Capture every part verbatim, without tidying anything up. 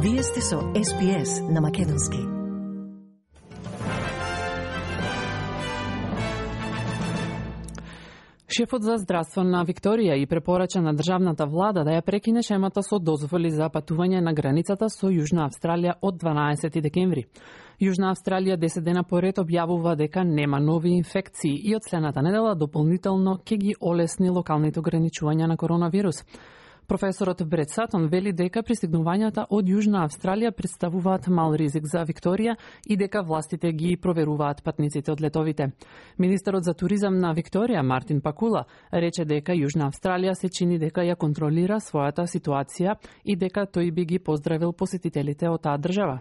Вие сте со Ес Би Ес на Македонски. Шефот за здравство на Викторија и препорача на државната влада да ја прекине шемата со дозволи за патување на границата со Јужна Австралија од дванаесети декември. Јужна Австралија десет дена поред објавува дека нема нови инфекции и од следната недела дополнително ќе ги олесни локалните ограничувања на коронавирус. Професорот Брет Сатон вели дека пристигнувањата од Јужна Австралија представуваат мал ризик за Викторија и дека властите ги проверуваат патниците од летовите. Министерот за туризам на Викторија, Мартин Пакула, рече дека Јужна Австралија се чини дека ја контролира својата ситуација и дека тој би ги поздравил посетителите од таа држава.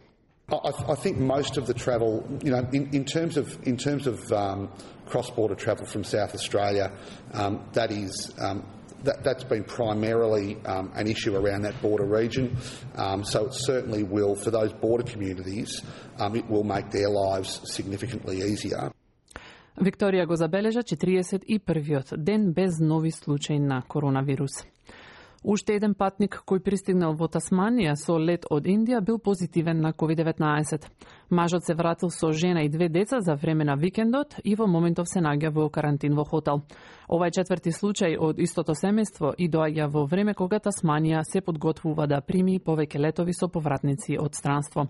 I, I think most of the travel, you know, in, in terms of in terms of um, cross-border travel from South Australia, um, that is um, that, that's been primarily um, an issue around that border region. Um, so it certainly will, for those border communities, um, it will make their lives significantly easier. Викторија го забележа четириесет и првиот ден без нови случаи на коронавирус. Уште еден патник кој пристигнал во Тасманија со лет од Индија бил позитивен на ковид деветнаесет. Мажот се вратил со жена и две деца за време на викендот и во моментов се наоѓа во карантин во хотел. Ова е четврти случај од истото семејство и доаѓа во време кога Тасманија се подготвува да прими повеќе летови со повратници од странство.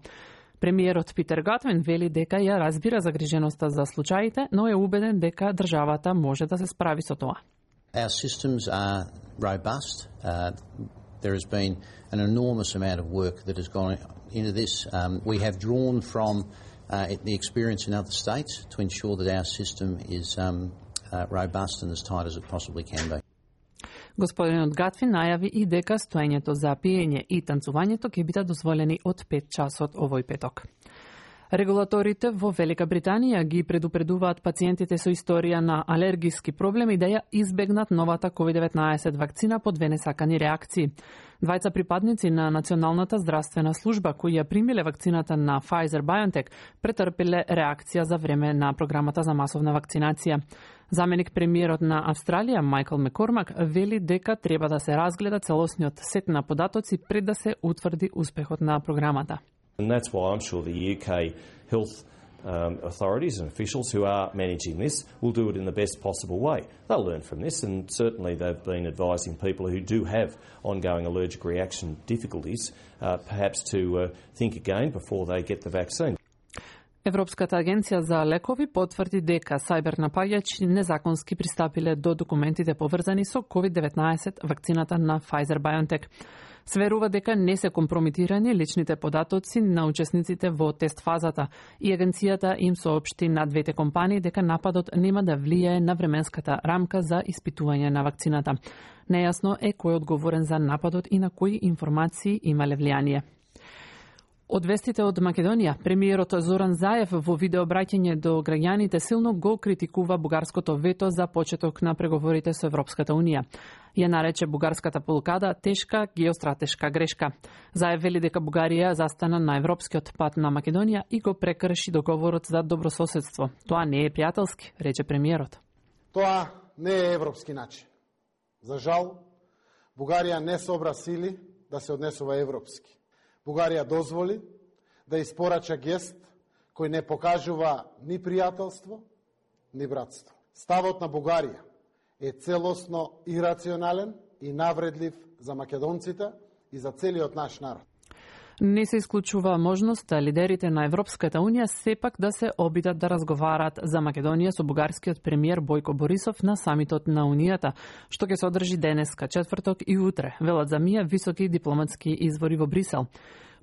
Премиерот Питер Гатвин вели дека ја разбира загриженоста за случаите, но е убеден дека државата може да се справи со тоа. Our systems are robust. Uh, there has been an enormous amount of work that has gone into this. Um, we have drawn from uh, the experience in other states to ensure that our system is um, uh, robust and as tight as it possibly can be. Господинот Гатвин најави и дека стоењето за пиење и танцувањето ќе бидат дозволени од пет часот овој петок. Регулаторите во Велика Британија ги предупредуваат пациентите со историја на алергиски проблеми да ја избегнат новата ковид деветнаесет вакцина по две несакани реакции. Двајца припадници на Националната здравствена служба кои ја примиле вакцината на Pfizer-BioNTech претрпеле реакција за време на програмата за масовна вакцинација. Заменик премиерот на Австралија Майкл Маккормак вели дека треба да се разгледа целосниот сет на податоци пред да се утврди успехот на програмата. And that's why I'm sure the U K health um, authorities and officials who are managing this will do it in the best possible way. They'll learn from this, and certainly they've been advising people who do have ongoing allergic reaction difficulties uh, perhaps to uh, think again before they get the vaccine. Европската агенција за лекови потврди дека сајбер напаѓачи незаконски пристапиле до документите поврзани со ковид деветнаесет вакцината на Pfizer-BioNTech. Сверува дека не се компрометирани личните податоци на учесниците во тест фазата и агенцијата им соопшти на двете компании дека нападот нема да влијае на временската рамка за испитување на вакцината. Нејасно е кој е одговорен за нападот и на кои информации имале влијание. Од вестите од Македонија, премиерот Зоран Заев во видеообраќање до граѓаните силно го критикува бугарското вето за почеток на преговорите со Европската Унија. Ја нарече бугарската блокада тешка геостратешка грешка. Заев вели дека Бугарија застана на европскиот пат на Македонија и го прекрши договорот за добрососедство. Тоа не е пријателски, рече премиерот. Тоа не е европски начин. За жал, Бугарија не собра сили да се однесува европски. Бугарија дозволи да испорача гест кој не покажува ни пријателство, ни братство. Ставот на Бугарија е целосно ирационален и навредлив за македонците и за целиот наш народ. Не се исклучува можноста лидерите на Европската Унија сепак да се обидат да разговараат за Македонија со бугарскиот премиер Бојко Борисов на самитот на Унијата, што ќе се одржи денеска, четврток и утре, велат за мија високи дипломатски извори во Брисел.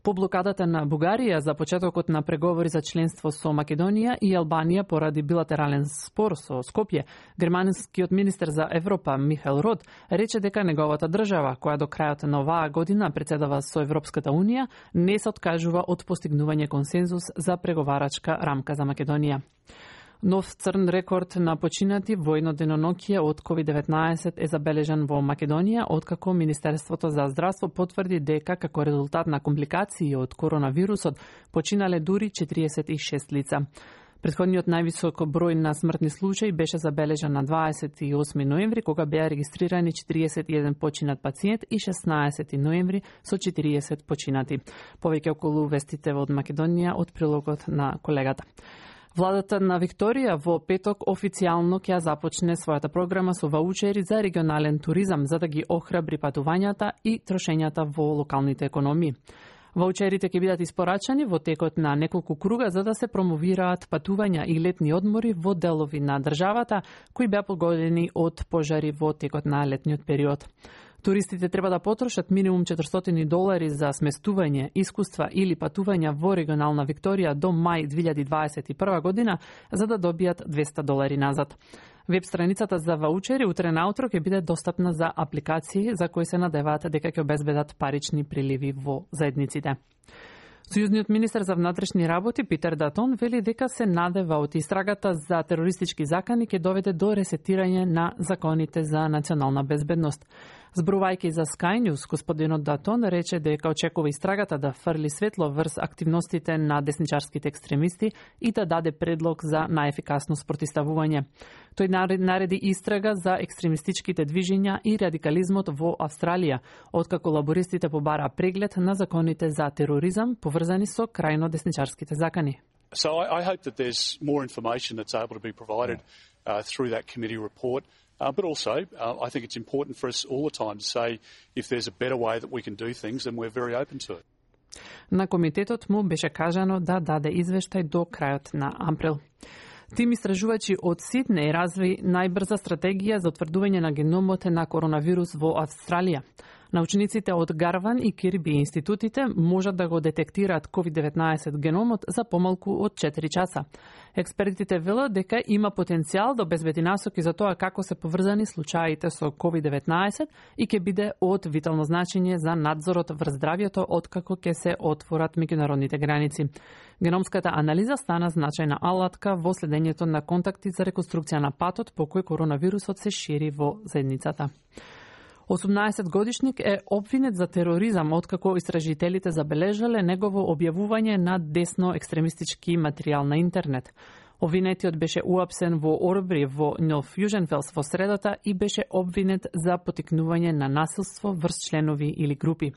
По блокадата на Бугарија за почетокот на преговори за членство со Македонија и Албанија поради билатерален спор со Скопје, германскиот министер за Европа Михаел Род рече дека неговата држава, која до крајот на оваа година претседава со Европската Унија, не се откажува од постигнување консензус за преговарачка рамка за Македонија. Нов црн рекорд на починати во едно деноноќие од ковид деветнаесет е забележан во Македонија, откако Министерството за здравство потврди дека како резултат на компликации од коронавирусот починале дури четириесет и шест лица. Претходниот највисок број на смртни случаи беше забележан на дваесет и осми ноември, кога беа регистрирани четириесет и еден починат пациент и шеснаесети ноември со четириесет починати. Повеќе околу вестите од Македонија од прилогот на колегата. Владата на Викторија во петок официјално ќе започне својата програма со ваучери за регионален туризам, за да ги охрабри патувањата и трошењата во локалните економии. Ваучерите ќе бидат испорачани во текот на неколку круга за да се промовираат патувања и летни одмори во делови на државата кои беа погодени од пожари во текот на летниот период. Туристите треба да потрошат минимум четиристотини долари за сместување, искуства или патувања во регионална Викторија до мај две илјади дваесет и прва година за да добијат двесте долари назад. Веб страницата за ваучери утре наутро ќе биде достапна за апликации за кои се надеваат дека ќе обезбедат парични приливи во заедниците. Сојузниот министер за внатрешни работи Питер Датон вели дека се надева од истрагата за терористички закани ќе доведе до ресетирање на законите за национална безбедност. Зборувајќи за Sky News, господинот Датон рече дека очекува истрагата да фрли светло врз активностите на десничарските екстремисти и да даде предлог за најефикасно спротивставување. Тој нареди истрага за екстремистичките движења и радикализмот во Австралија, откако лабористите побараа преглед на законите за тероризам поврзани со крајно десничарските закани. So I, I hope that there's more information that's able to be provided uh, through that committee report. Uh, but also, uh, I think it's important for us all the time to say if there's a better way that we can do things, then we're very open to it. На комитетот му беше кажано да даде извештај до крајот на април. Тим истражувачи од Сиднеј разви најбрза стратегија за утврдување на геномот на коронавирус во Австралија. Научниците од Гарван и Кирби институтите можат да го детектираат ковид деветнаесет геномот за помалку од четири часа. Експертите велат дека има потенцијал да обезбеди насоки за тоа како се поврзани случаите со ковид деветнаесет и ќе биде од витално значење за надзорот врз здравјето откако ќе се отворат меѓународните граници. Геномската анализа стана значајна алатка во следењето на контакти за реконструкција на патот по кој коронавирусот се шири во заедницата. осумнаесет годишник е обвинет за тероризам откако истражителите забележале негово објавување на десно екстремистички материјал на интернет. Обвинетиот беше уапсен во Орбри во Нов Фјуженфелс во средата и беше обвинет за поттикнување на насилство врз членови или групи.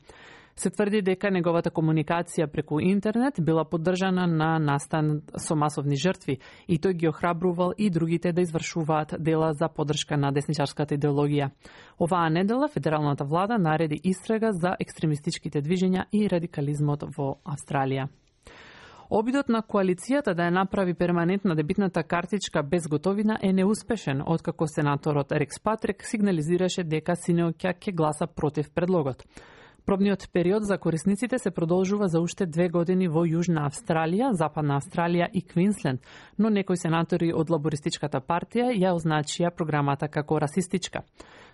Се тврди дека неговата комуникација преку интернет била поддржана на настан со масовни жртви и тој ги охрабрувал и другите да извршуваат дела за поддршка на десничарската идеологија. Оваа недела федералната влада нареди истрага за екстремистичките движења и радикализмот во Австралија. Обидот на коалицијата да ја направи перманентна дебитната картичка без готовина е неуспешен, откако сенаторот Рекс Патрик сигнализираше дека синоќа ќе гласа против предлогот. Пробниот период за корисниците се продолжува за уште две години во Јужна Австралија, Западна Австралија и Квинсленд, но некои сенатори од лабористичката партија ја означија програмата како расистичка.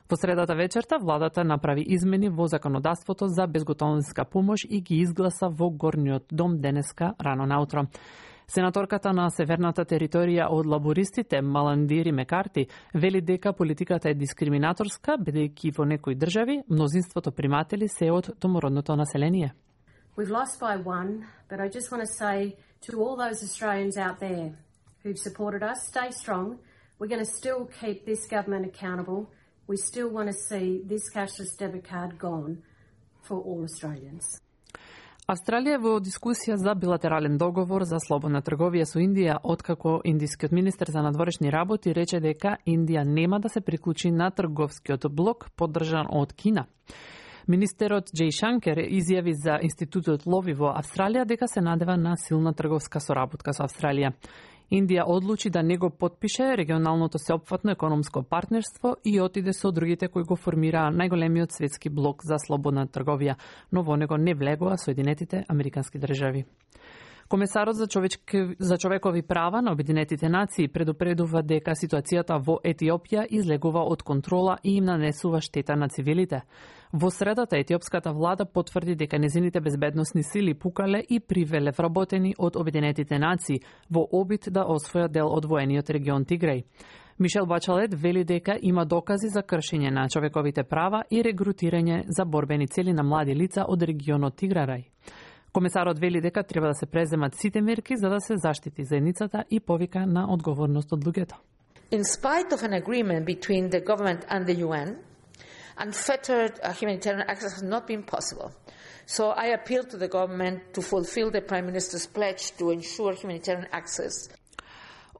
Во средата вечерта владата направи измени во законодавството за безготовинска помош и ги изгласа во горниот дом денеска рано наутро. Сенаторката на северната територија од лабористите Маландири Мекарти вели дека политиката е дискриминаторска, бидејќи во некои држави мнозинството приматели се од домородното население. We've lost by one, but I just want to say to all those Australians out there who've supported us, stay strong. We're going to still keep this government accountable. We still want to see this cashless debit card gone for all Australians. Австралија е во дискусија за билатерален договор за слободна трговија со Индија, откако индискиот министер за надворешни работи рече дека Индија нема да се приклучи на трговскиот блок поддржан од Кина. Министерот Џеј Шанкер изјави за Институтот Лови во Австралија дека се надева на силна трговска соработка со Австралија. Индија одлучи да не го потпише регионалното сеопфатно економско партнерство и отиде со другите кои го формираа најголемиот светски блок за слободна трговија, но во него не влегува Соединетите Американски држави. Комесарот за, човечки, за човекови права на Обединетите нации предупредува дека ситуацијата во Етиопија излегува од контрола и им нанесува штета на цивилите. Во средата етиопската влада потврди дека незините безбедносни сили пукале и привеле вработени од Обединетите нации во обид да освојат дел од воениот регион Тигреј. Мишел Бачалет вели дека има докази за кршење на човековите права и регрутирање за борбени цели на млади лица од регионот Тиграрај. Комесарот вели дека треба да се преземат сите мерки за да се заштити заедницата и повика на одговорност од луѓето. In spite of an agreement between the government and the U N, unfettered uh, humanitarian access has not been possible. So I appeal to the government to fulfill the Prime Minister's pledge to ensure humanitarian access.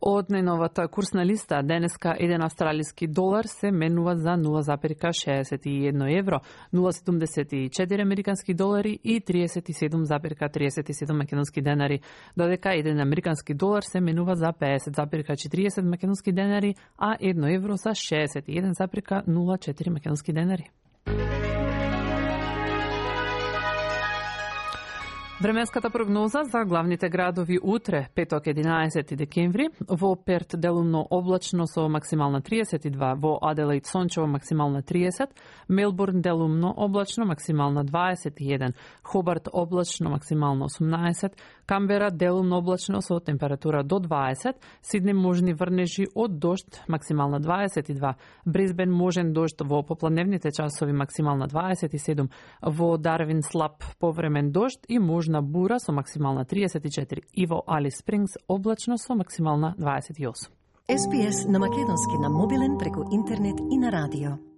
Од најновата курсна листа, денеска еден австралиски долар се менува за нула запирка шеесет и едно евро, нула седумдесет и четири американски долари и триесет и седум запирка триесет и седум македонски денари, додека еден американски долар се менува за пеесет запирка четириесет македонски денари, а едно евро за шеесет и еден запирка нула четири македонски денари. Временската прогноза за главните градови утре, петок единаесети декември, во Перт делумно облачно со максимална триесет и два, во Аделаид сончево максимална триесет, Мелбурн делумно облачно максимална дваесет и еден, Хобарт облачно максимално осумнаесет, Камбера делумно облачно со температура до дваесет, Сиднеј можни врнежи од дожд максимална дваесет и два, Брисбен можен дожд во попладневните часови максимална дваесет и седум, во Дарвин слаб повремен дожд и можна на бура со максимална триесет и четири и во Алис Спрингс облачно со максимална дваесет и осум. Ес Би Ес на македонски на мобилен преку интернет и на радио.